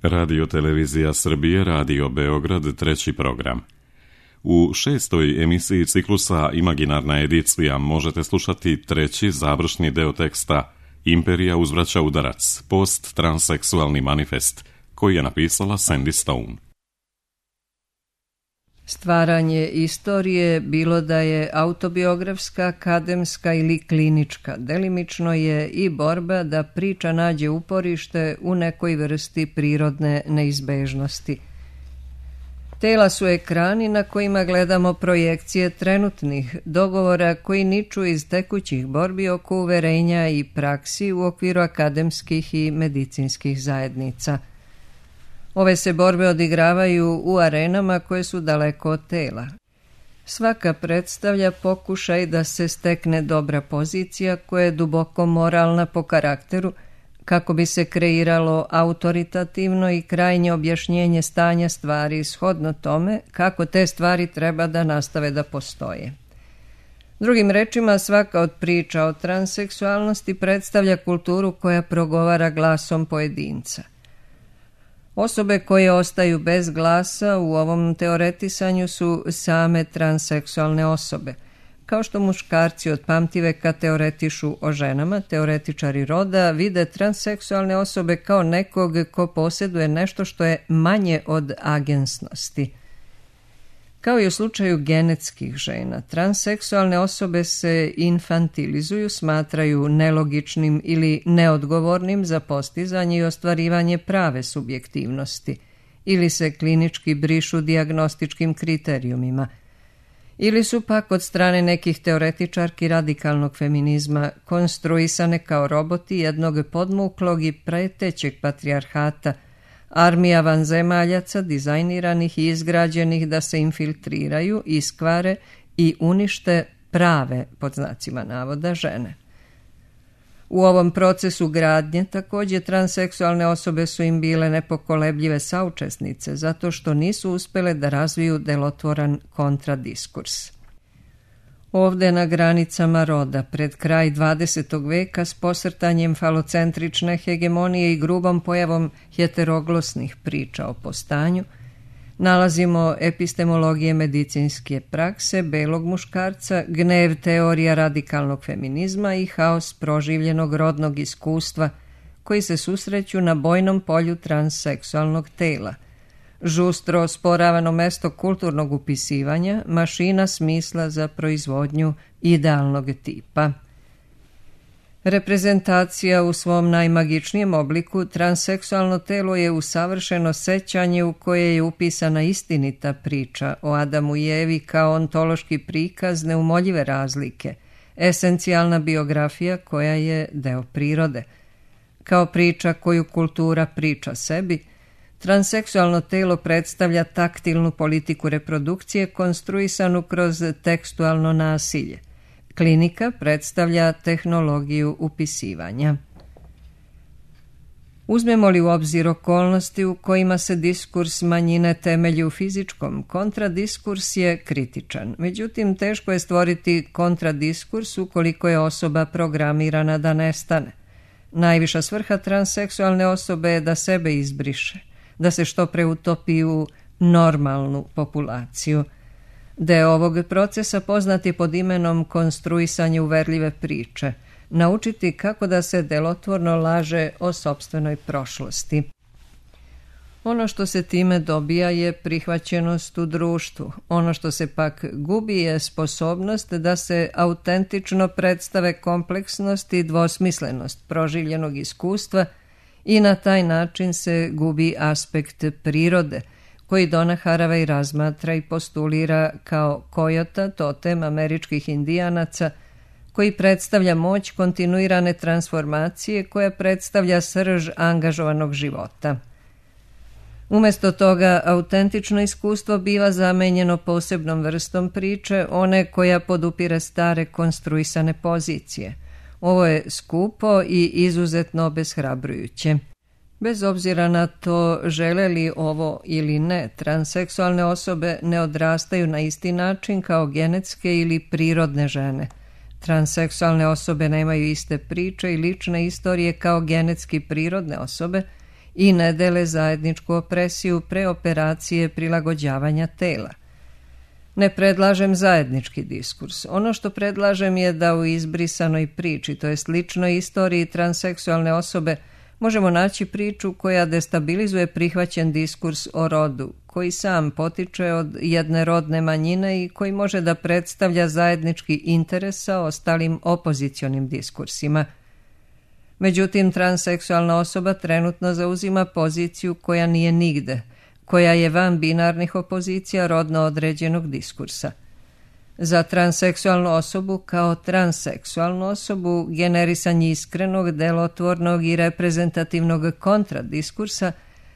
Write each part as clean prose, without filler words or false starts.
Radio Televizija Srbije, Radio Beograd, treći program. U 6. emisiji ciklusa Imaginarna edicija možete slušati treći završni deo teksta Imperija uzvraća udarac, post-transseksualni manifest, koji je napisala Sandy Stone. Stvaranje istorije, bilo da je autobiografska, akademska ili klinička, delimično je i borba da priča nađe uporište u nekoj vrsti prirodne neizbežnosti. Tela su ekrani na kojima gledamo projekcije trenutnih dogovora koji niču iz tekućih borbi oko uverenja i praksi u okviru akademskih i medicinskih zajednica. Ove se borbe odigravaju u arenama koje su daleko od tela. Svaka predstavlja pokušaj da se stekne dobra pozicija koja je duboko moralna po karakteru, kako bi se kreiralo autoritativno i krajnje objašnjenje stanja stvari shodno tome kako te stvari treba da nastave da postoje. Drugim rečima, svaka od priča o transseksualnosti predstavlja kulturu koja progovara glasom pojedinca. Osobe koje ostaju bez glasa u ovom teoretisanju su same transseksualne osobe. Kao što muškarci od pamtiveka teoretišu o ženama, teoretičari roda vide transseksualne osobe kao nekog ko posjeduje nešto što je manje od agensnosti. Kao i u slučaju genetskih žena, transseksualne osobe se infantilizuju, smatraju nelogičnim ili neodgovornim za postizanje i ostvarivanje prave subjektivnosti, ili se klinički brišu dijagnostičkim kriterijumima, ili su pak od strane nekih teoretičarki radikalnog feminizma konstruisane kao roboti jednog podmuklog i pretećeg patrijarhata, armija vanzemaljaca dizajniranih i izgrađenih da se infiltriraju, iskvare i unište prave, pod znacima navoda, žene. U ovom procesu gradnje također transseksualne osobe su im bile nepokolebljive saučesnice zato što nisu uspjele da razviju delotvoran kontradiskurs. Ovde na granicama roda, pred kraj 20. veka s posrtanjem falocentrične hegemonije i grubom pojavom heteroglosnih priča o postanju, nalazimo epistemologije medicinske prakse, belog muškarca, gnev teorija radikalnog feminizma i haos proživljenog rodnog iskustva koji se susreću na bojnom polju transseksualnog tela. Žustro osporavano mesto kulturnog upisivanja, mašina smisla za proizvodnju idealnog tipa. Reprezentacija u svom najmagičnijem obliku, transseksualno telo je usavršeno sećanje u koje je upisana istinita priča o Adamu i Evi kao ontološki prikaz neumoljive razlike, esencijalna biografija koja je deo prirode. Kao priča koju kultura priča sebi, transseksualno telo predstavlja taktilnu politiku reprodukcije konstruisanu kroz tekstualno nasilje. Klinika predstavlja tehnologiju upisivanja. Uzmemo li u obzir okolnosti u kojima se diskurs manjine temelji u fizičkom, kontradiskurs je kritičan. Međutim, teško je stvoriti kontradiskurs ukoliko je osoba programirana da nestane. Najviša svrha transseksualne osobe je da sebe izbriše, da se što pre utopi u normalnu populaciju. Deo ovog procesa poznat je pod imenom konstruisanje uverljive priče, naučiti kako da se delotvorno laže o sopstvenoj prošlosti. Ono što se time dobija je prihvaćenost u društvu, ono što se pak gubi je sposobnost da se autentično predstave kompleksnost i dvosmislenost proživljenog iskustva i na taj način se gubi aspekt prirode, koji Donna Haraway razmatra i postulira kao kojota, totem američkih indijanaca, koji predstavlja moć kontinuirane transformacije koja predstavlja srž angažovanog života. Umjesto toga, autentično iskustvo biva zamenjeno posebnom vrstom priče, one koja podupire stare konstruisane pozicije. Ovo je skupo i izuzetno obeshrabrujuće. Bez obzira na to žele li ovo ili ne, transseksualne osobe ne odrastaju na isti način kao genetske ili prirodne žene. Transseksualne osobe nemaju iste priče i lične istorije kao genetski prirodne osobe i ne dele zajedničku opresiju pre operacije prilagođavanja tela. Ne predlažem zajednički diskurs. Ono što predlažem je da u izbrisanoj priči, to jest ličnoj istoriji transseksualne osobe, možemo naći priču koja destabilizuje prihvaćen diskurs o rodu, koji sam potiče od jedne rodne manjine i koji može da predstavlja zajednički interes sa ostalim opozicionim diskursima. Međutim, transseksualna osoba trenutno zauzima poziciju koja nije nigde, koja je van binarnih opozicija rodno određenog diskursa. Za transseksualnu osobu kao transseksualnu osobu generisanje iskrenog, delotvornog i reprezentativnog kontradiskursa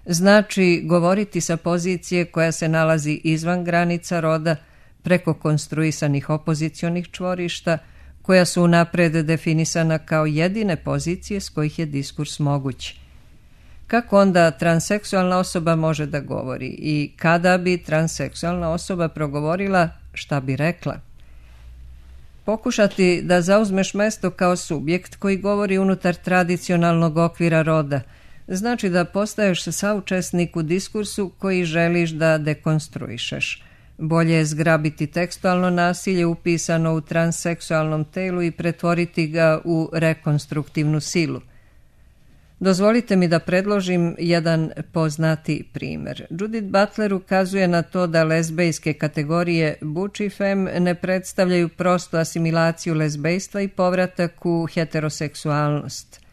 znači govoriti sa pozicije koja se nalazi izvan granica roda preko konstruisanih opozicionih čvorišta koja su unapred definisana kao jedine pozicije s kojih je diskurs moguć. Kako onda transseksualna osoba može da govori i kada bi transseksualna osoba progovorila, šta bi rekla? Pokušati da zauzmeš mesto kao subjekt koji govori unutar tradicionalnog okvira roda znači da postaješ saučesnik u diskursu koji želiš da dekonstruišeš. Bolje je zgrabiti tekstualno nasilje upisano u transseksualnom telu i pretvoriti ga u rekonstruktivnu silu. Dozvolite mi da predložim jedan poznati primjer. Judith Butler ukazuje na to da lezbejske kategorije butch i femme ne predstavljaju prostu asimilaciju lezbejstva i povratak u heteroseksualnost.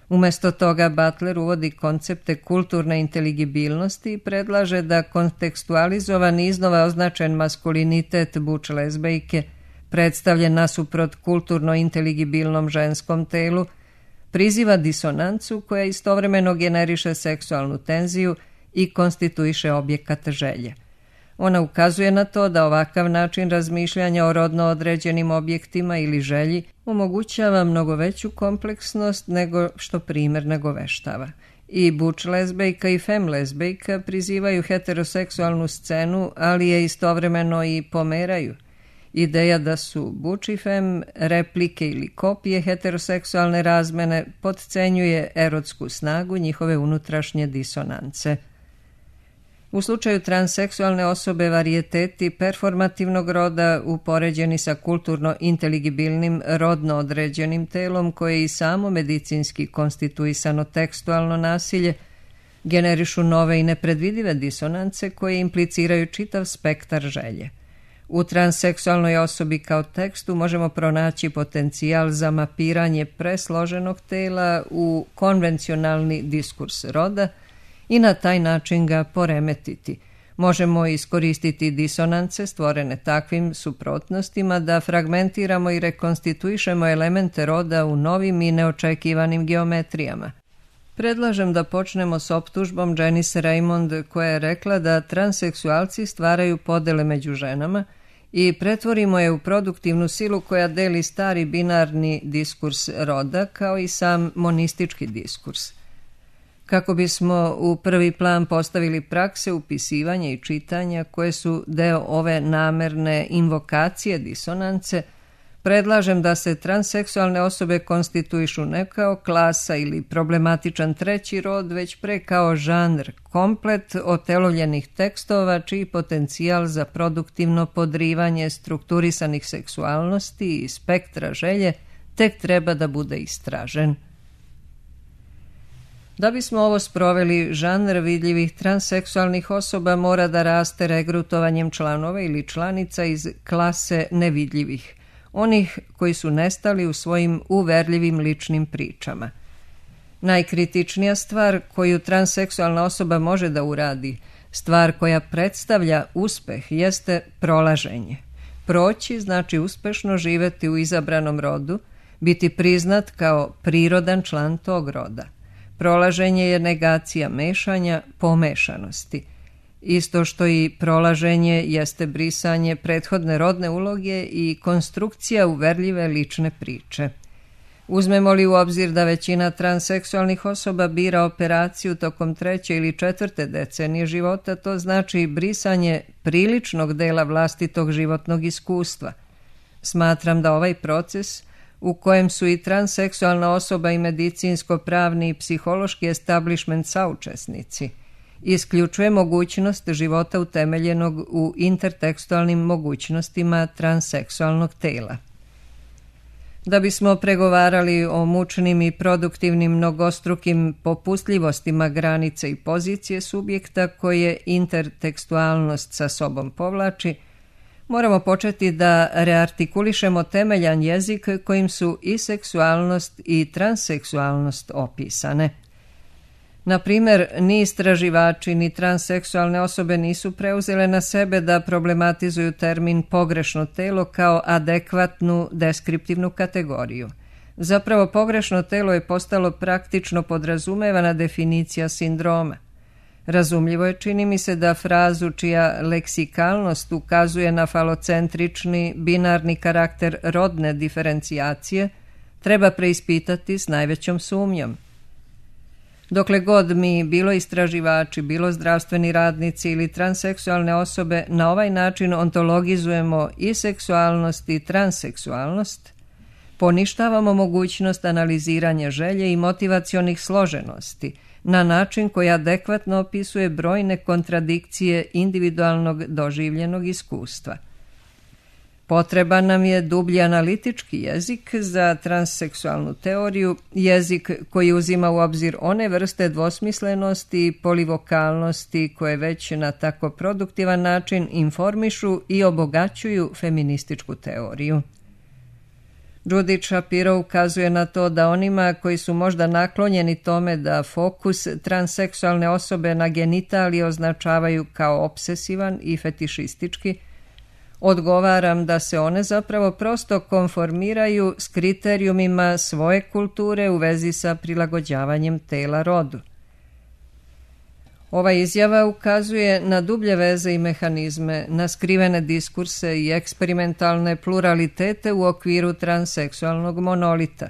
Umjesto toga Butler uvodi koncepte kulturne inteligibilnosti i predlaže da kontekstualizovan i iznova označen maskulinitet butch lezbejke, predstavljen nasuprot kulturno inteligibilnom ženskom telu, priziva disonancu koja istovremeno generiše seksualnu tenziju i konstituiše objekat želje. Ona ukazuje na to da ovakav način razmišljanja o rodno određenim objektima ili želji omogućava mnogo veću kompleksnost nego što primjer nagoveštava. I butch lezbejka i femme lezbejka prizivaju heteroseksualnu scenu, ali je istovremeno i pomeraju. Ideja da su butch i femme replike ili kopije heteroseksualne razmene potcenjuje erotsku snagu njihove unutrašnje disonance. U slučaju transseksualne osobe varijeteti performativnog roda upoređeni sa kulturno inteligibilnim rodno određenim telom koje je i samo medicinski konstituisano tekstualno nasilje generišu nove i nepredvidive disonance koje impliciraju čitav spektar želje. U transseksualnoj osobi kao tekstu možemo pronaći potencijal za mapiranje presloženog tela u konvencionalni diskurs roda i na taj način ga poremetiti. Možemo iskoristiti disonance stvorene takvim suprotnostima da fragmentiramo i rekonstituišemo elemente roda u novim i neočekivanim geometrijama. Predlažem da počnemo s optužbom Janice Raymond koja je rekla da transseksualci stvaraju podele među ženama i pretvorimo je u produktivnu silu koja deli stari binarni diskurs roda kao i sam monistički diskurs. Kako bismo u prvi plan postavili prakse upisivanja i čitanja koje su deo ove namerne invokacije disonance, predlažem da se transseksualne osobe konstituišu ne kao klasa ili problematičan treći rod, već pre kao žanr, komplet otelovljenih tekstova čiji potencijal za produktivno podrivanje strukturisanih seksualnosti i spektra želje tek treba da bude istražen. Da bismo ovo sproveli, žanr vidljivih transseksualnih osoba mora da raste regrutovanjem članova ili članica iz klase nevidljivih, onih koji su nestali u svojim uverljivim ličnim pričama. Najkritičnija stvar koju transseksualna osoba može da uradi, stvar koja predstavlja uspeh, jeste prolaženje. Proći znači uspešno živeti u izabranom rodu, biti priznat kao prirodan član tog roda. Prolaženje je negacija mešanja, pomešanosti. Isto što i prolaženje jeste brisanje prethodne rodne uloge i konstrukcija uverljive lične priče. Uzmemo li u obzir da većina transseksualnih osoba bira operaciju tokom 3. ili 4. decenije života, to znači brisanje priličnog dela vlastitog životnog iskustva. Smatram da ovaj proces u kojem su i transseksualna osoba i medicinsko-pravni i psihološki establishment saučesnici, isključuje mogućnost života utemeljenog u intertekstualnim mogućnostima transseksualnog tela. Da bismo pregovarali o mučnim i produktivnim mnogostrukim popustljivostima granice i pozicije subjekta koje intertekstualnost sa sobom povlači, moramo početi da reartikulišemo temeljan jezik kojim su i seksualnost i transseksualnost opisane. Na primjer, ni istraživači ni transseksualne osobe nisu preuzele na sebe da problematizuju termin pogrešno telo kao adekvatnu deskriptivnu kategoriju. Zapravo, pogrešno telo je postalo praktično podrazumevana definicija sindroma. Razumljivo je, čini mi se, da frazu čija leksikalnost ukazuje na falocentrični, binarni karakter rodne diferencijacije treba preispitati s najvećom sumnjom. Dokle god mi, bilo istraživači, bilo zdravstveni radnici ili transseksualne osobe, na ovaj način ontologizujemo i seksualnost i transseksualnost, poništavamo mogućnost analiziranja želje i motivacionih složenosti na način koji adekvatno opisuje brojne kontradikcije individualnog doživljenog iskustva. Potreban nam je dublji analitički jezik za transseksualnu teoriju, jezik koji uzima u obzir one vrste dvosmislenosti i polivokalnosti koje već na tako produktivan način informišu i obogaćuju feminističku teoriju. Judith Shapiro ukazuje na to da onima koji su možda naklonjeni tome da fokus transseksualne osobe na genitalije označavaju kao obsesivan i fetišistički, odgovaram da se one zapravo prosto konformiraju s kriterijumima svoje kulture u vezi sa prilagođavanjem tela rodu. Ova izjava ukazuje na dublje veze i mehanizme, na skrivene diskurse i eksperimentalne pluralitete u okviru transseksualnog monolita.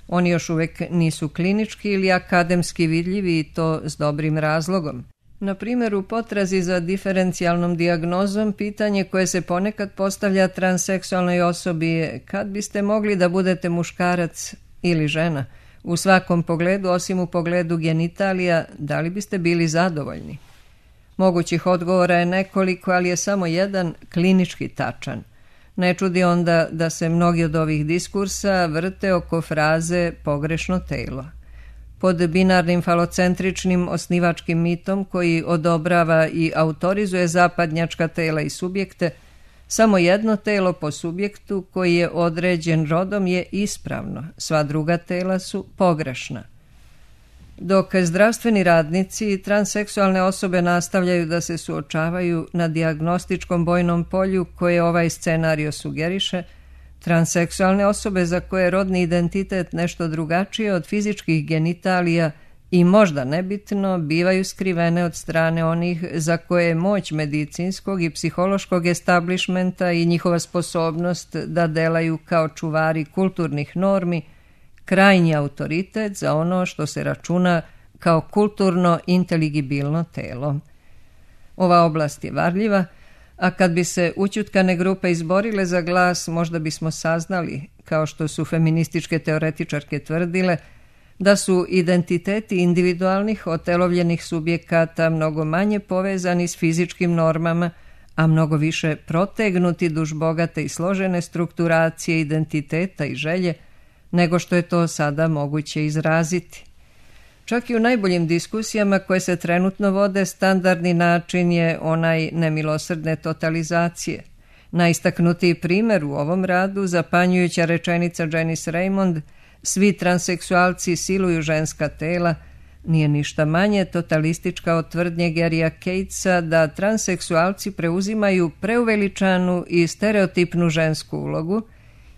Oni još uvijek nisu klinički ili akademski vidljivi i to s dobrim razlogom. Na primjer, u potrazi za diferencijalnom dijagnozom, pitanje koje se ponekad postavlja transseksualnoj osobi je: kad biste mogli da budete muškarac ili žena? U svakom pogledu, osim u pogledu genitalija, da li biste bili zadovoljni? Mogućih odgovora je nekoliko, ali je samo jedan klinički tačan. Ne čudi onda da se mnogi od ovih diskursa vrte oko fraze pogrešno telo. Pod binarnim falocentričnim osnivačkim mitom koji odobrava i autorizuje zapadnjačka tela i subjekte, samo jedno telo po subjektu koji je određen rodom je ispravno, sva druga tela su pogrešna. Dok zdravstveni radnici i transseksualne osobe nastavljaju da se suočavaju na dijagnostičkom bojnom polju koje ovaj scenario sugeriše, transseksualne osobe za koje je rodni identitet nešto drugačije od fizičkih genitalija i možda nebitno bivaju skrivene od strane onih za koje je moć medicinskog i psihološkog establishmenta i njihova sposobnost da delaju kao čuvari kulturnih normi krajnji autoritet za ono što se računa kao kulturno inteligibilno telo. Ova oblast je varljiva, a kad bi se ućutkane grupe izborile za glas, možda bismo saznali, kao što su feminističke teoretičarke tvrdile, da su identiteti individualnih otelovljenih subjekata mnogo manje povezani s fizičkim normama, a mnogo više protegnuti duž bogate i složene strukturacije identiteta i želje, nego što je to sada moguće izraziti. Čak i u najboljim diskusijama koje se trenutno vode, standardni način je onaj nemilosrdne totalizacije. Najistaknutiji primjer u ovom radu, zapanjujuća rečenica Janice Raymond, svi transseksualci siluju ženska tela, nije ništa manje totalistička od tvrdnje Garya Catesa da transseksualci preuzimaju preuveličanu i stereotipnu žensku ulogu,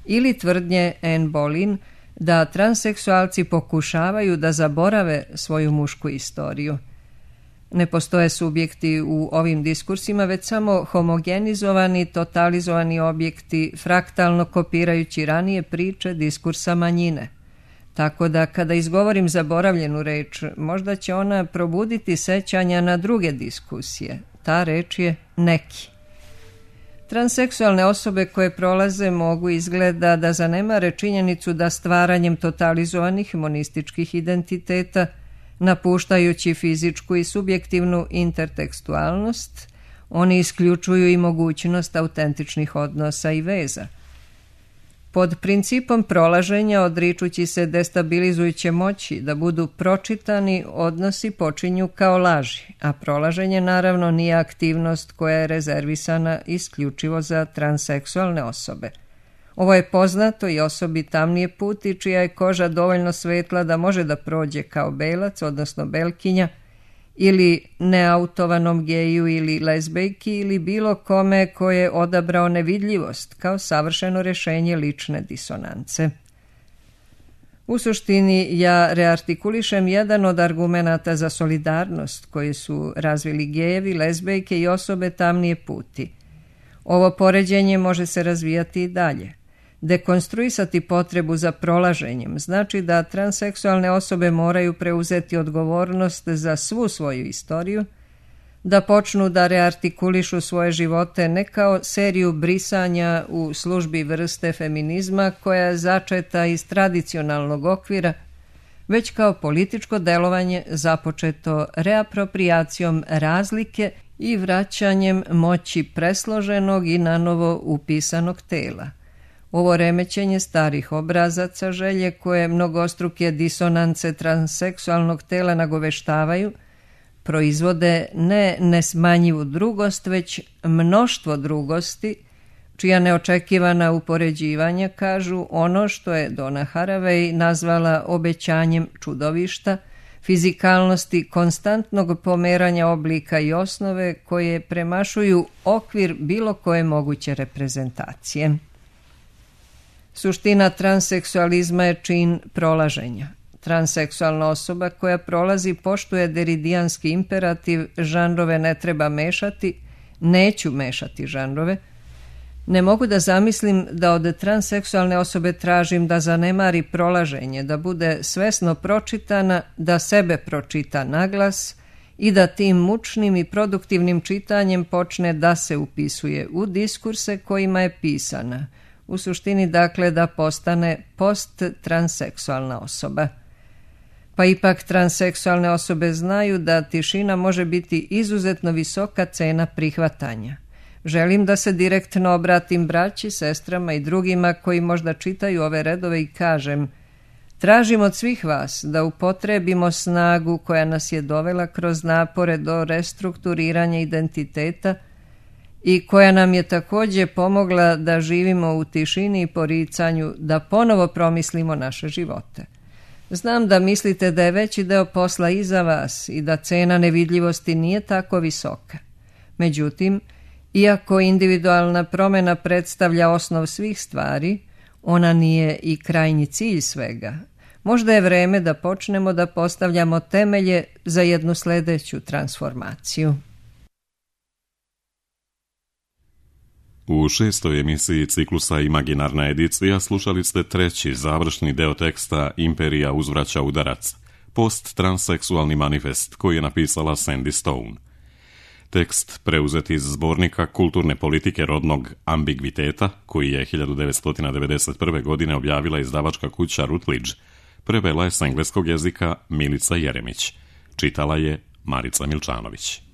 ili tvrdnje Anne Boleyn da transseksualci pokušavaju da zaborave svoju mušku istoriju. Ne postoje subjekti u ovim diskursima, već samo homogenizovani, totalizovani objekti, fraktalno kopirajući ranije priče diskursa manjine. Tako da kada izgovorim zaboravljenu reč, možda će ona probuditi sećanja na druge diskusije. Ta reč je neki. Transseksualne osobe koje prolaze mogu izgleda da zanemare činjenicu da stvaranjem totalizovanih monističkih identiteta, napuštajući fizičku i subjektivnu intertekstualnost, oni isključuju i mogućnost autentičnih odnosa i veza. Pod principom prolaženja, odričući se destabilizujuće moći da budu pročitani, odnosi počinju kao laži, a prolaženje naravno nije aktivnost koja je rezervisana isključivo za transseksualne osobe. Ovo je poznato i osobi tamnije puti čija je koža dovoljno svetla da može da prođe kao belac, odnosno belkinja, ili neautovanom geju ili lezbejki ili bilo kome ko je odabrao nevidljivost kao savršeno rješenje lične disonance. U suštini ja reartikulišem jedan od argumenata za solidarnost koji su razvili gejevi, lezbejke i osobe tamnije puti. Ovo poređenje može se razvijati i dalje. Dekonstruisati potrebu za prolaženjem znači da transseksualne osobe moraju preuzeti odgovornost za svu svoju istoriju, da počnu da reartikulišu svoje živote ne kao seriju brisanja u službi vrste feminizma koja je začeta iz tradicionalnog okvira, već kao političko delovanje započeto reaproprijacijom razlike i vraćanjem moći presloženog i nanovo upisanog tela. Ovo remećenje starih obrazaca želje koje mnogostruke disonance transseksualnog tela nagoveštavaju, proizvode ne nesmanjivu drugost, već mnoštvo drugosti, čija neočekivana upoređivanja kažu ono što je Donna Haraway nazvala obećanjem čudovišta, fizikalnosti konstantnog pomeranja oblika i osnove koje premašuju okvir bilo koje moguće reprezentacije. Suština transseksualizma je čin prolaženja. Transseksualna osoba koja prolazi poštuje deridijanski imperativ žanrove ne treba mešati, neću mešati žanrove. Ne mogu da zamislim da od transseksualne osobe tražim da zanemari prolaženje, da bude svesno pročitana, da sebe pročita naglas i da tim mučnim i produktivnim čitanjem počne da se upisuje u diskurse kojima je pisana. U suštini, dakle, da postane post-transseksualna osoba. Pa ipak transseksualne osobe znaju da tišina može biti izuzetno visoka cena prihvatanja. Želim da se direktno obratim braći, sestrama i drugima koji možda čitaju ove redove i kažem: tražim od svih vas da upotrebimo snagu koja nas je dovela kroz napore do restrukturiranja identiteta i koja nam je također pomogla da živimo u tišini i poricanju, da ponovo promislimo naše živote. Znam da mislite da je veći deo posla iza vas i da cena nevidljivosti nije tako visoka. Međutim, iako individualna promjena predstavlja osnov svih stvari, ona nije i krajnji cilj svega. Možda je vreme da počnemo da postavljamo temelje za jednu sljedeću transformaciju. U 6. emisiji ciklusa Imaginarna edicija slušali ste treći završni deo teksta Imperija uzvraća udarac, post-transseksualni manifest koji je napisala Sandy Stone. Tekst preuzet iz zbornika kulturne politike rodnog ambigviteta, koji je 1991. godine objavila izdavačka kuća Routledge, prevela je s engleskog jezika Milica Jeremić. Čitala je Marica Milčanović.